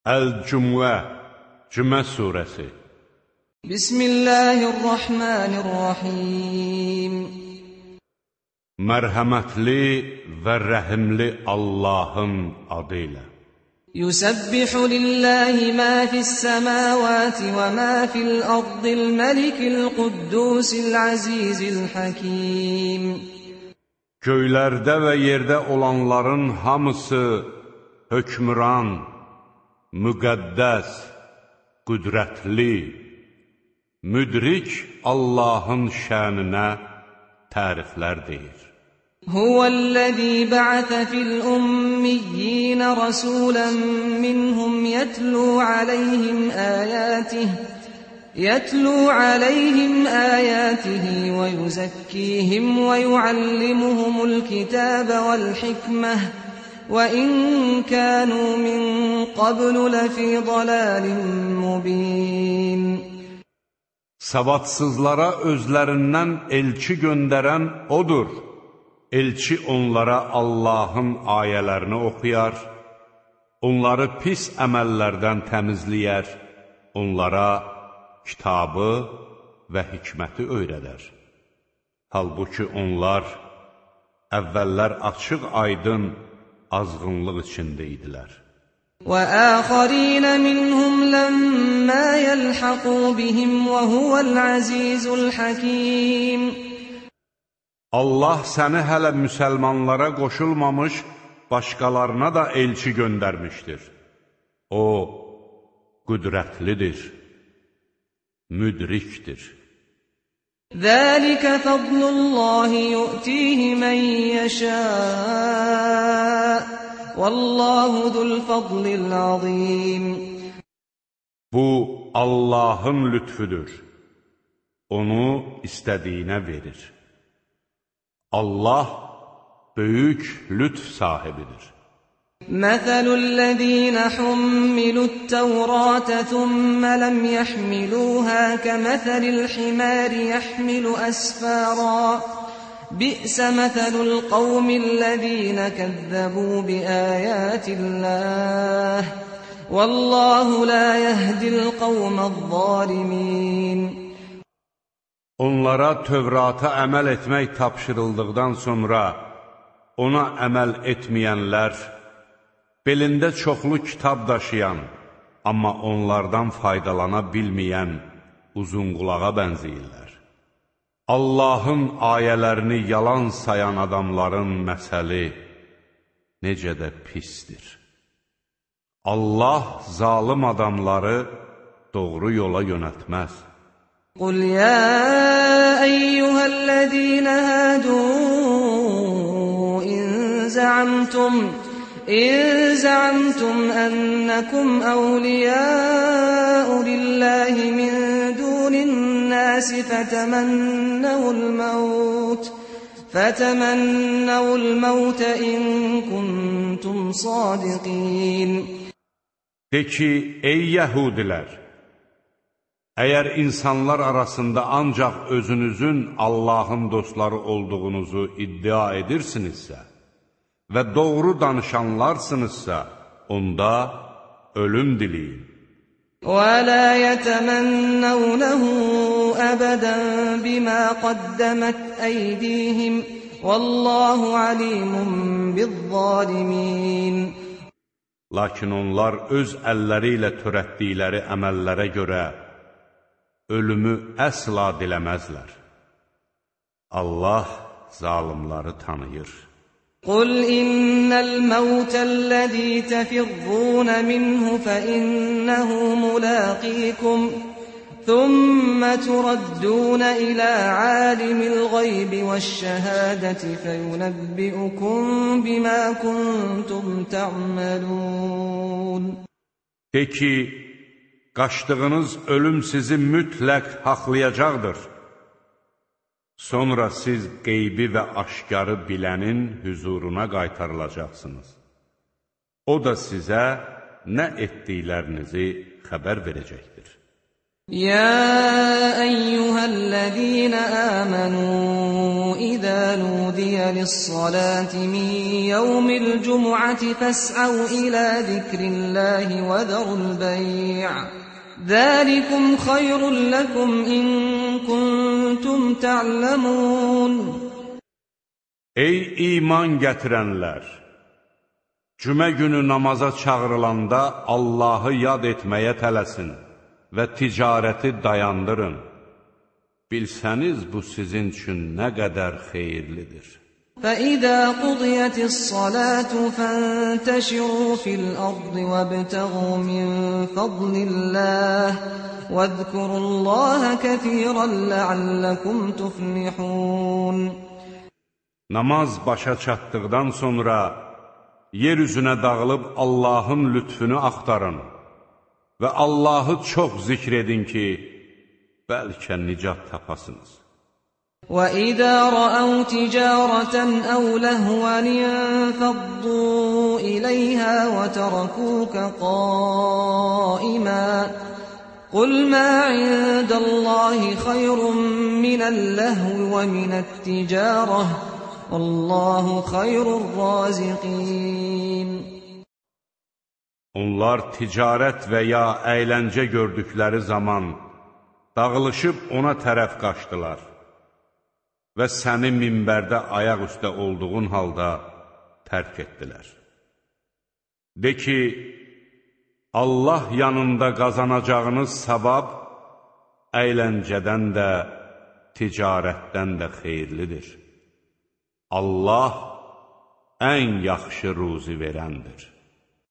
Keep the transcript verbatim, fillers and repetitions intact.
Əl-Cümə, Cümə surəsi. Bismillahirrahmanirrahim. Mərhəmətli və rəhimli Allahın adı ilə. Yusabbihu lillahi ma fis-semawati və ma fil-ardil məlikil quddusil azizil hakim. Göylərdə və yerdə olanların hamısı hökmran, müqəddəs, qüdrətli, müdrik Allahın şəninə təriflər deyir. Huvəl-ləzî bə'ətə fil-ummiyyin rəsulən minhum yətlū aleyhim əyətih يتلو عليهم آياته ويزكيهم ويعلمهم الكتاب والحكمة وإن كانوا من قبل لفي ضلال مبين. Savadsızlara özlərindən elçi göndərən odur. Elçi onlara Allahın ayələrini oxuyar, onları pis əməllərdən təmizləyər, onlara kitabı və hikməti öyrədər. Halbuki onlar əvvəllər açıq aydın azğınlıq içində idilər. وَآخَرِينَ مِنْهُمْ لَمَّا يَلْحَقُوا بِهِمْ وَهُوَ الْعَزِيزُ الْحَكِيمُ. Allah səni hələ müsəlmanlara qoşulmamış başqalarına da elçi göndərmişdir. O, qüdrətlidir, müdrikdir. Zəlikə fadlullahi yu'tihi mən yəşə' Vallahu zul fadlil azim. Bu Allahın lütfüdür. Onu istədiyinə verir. Allah böyük lütf sahibidir. مثل الذين حملوا التوراة ثم لم يحملوها كمثل الحمار يحمل أسفارا بئس مثل القوم الذين كذبوا بآيات الله والله لا يهدي القوم الظالمين. Onlara Tövrata əməl etmək tapşırıldıqdan sonra ona əməl etməyənlər, belində çoxlu kitab daşıyan, amma onlardan faydalana bilməyən uzunqulağa bənzəyirlər. Allahın ayələrini yalan sayan adamların məsəli necə də pisdir. Allah zalım adamları doğru yola yönəltməz. Qul ya eyyuhəl-ləzīnə hədû in zəamtum إن زعمتم أنكم أولياء لله من دون الناس فتمنوا الموت فتمنوا الموت إن كنتم صادقين. De ki, ey Yəhudilər, əgər insanlar arasında ancaq özünüzün Allahın dostları olduğunuzu iddia edirsinizsə və doğru danışanlarsınızsa, onda ölüm diləyin. وَلَا يَتَمَنَّوْنَهُ أَبَدًا بِمَا قَدَّمَتْ أَيْدِيهِمْ وَاللَّهُ عَلِيمٌ بِالظَّالِمِينَ. Lakin onlar öz əlləri ilə törətdikləri əməllərə görə ölümü əsla diləməzlər. Allah zalimları tanıyır. قل إن الموت الذي تفرون منه فإنه ملاقيكم ثم تردون إلى عالم الغيب والشهادة فينبئكم بما كنتم تعملون. De ki, qaçdığınız ölüm sizi mütləq haqlayacaqdır. Sonra siz qeybi və aşkarı bilənin hüzuruna qaytarılacaqsınız. O da sizə nə etdiklərinizi xəbər verəcəkdir. يا أيها الذين آمنوا إذا نودي للصلاة من يوم الجمعة فاسعوا إلى ذكر الله وذروا البيع ذلكم خير لكم إن كنتم تعلمون. Ey iman gətirənlər! Cümə günü namaza çağırılanda Allahı yad etməyə tələsin və ticarəti dayandırın. Bilsəniz bu sizin üçün nə qədər xeyirlidir. فَإِذَا قُضِيَتِ الصَّلَاةُ فَانْتَشِرُوا فِي الْأَرْضِ وَابْتَغُوا مِنْ فَضْلِ اللَّهِ وَاذْكُرُوا اللَّهَ كَثِيرًا لَعَلَّكُمْ تُفْلِحُونَ. Namaz başa çatdıqdan sonra yer üzünə dağılıb Allahın lütfünü axtarın və Allahı çox zikr edin ki, bəlkə nicat tapasınız. وَإِذَا رَأَوْا تِجَارَةً أَوْ لَهْوًا انفَضُّوا إِلَيْهَا وَتَرَكُوكَ قَائِمًا قُلْ مَا عِندَ اللَّهِ خَيْرٌ مِنَ اللَّهْوِ وَمِنَ التِّجَارَةِ وَاللَّهُ خَيْرُ الرَّازِقِينَ. Onlar ticarət və ya əyləncə gördükləri zaman dağılışıb ona tərəf qaçdılar və səni minbərdə ayaq üstə olduğun halda tərk etdilər. De ki, Allah yanında qazanacağınız savab əyləncədən də, ticarətdən də xeyirlidir. Allah ən yaxşı ruzi verəndir.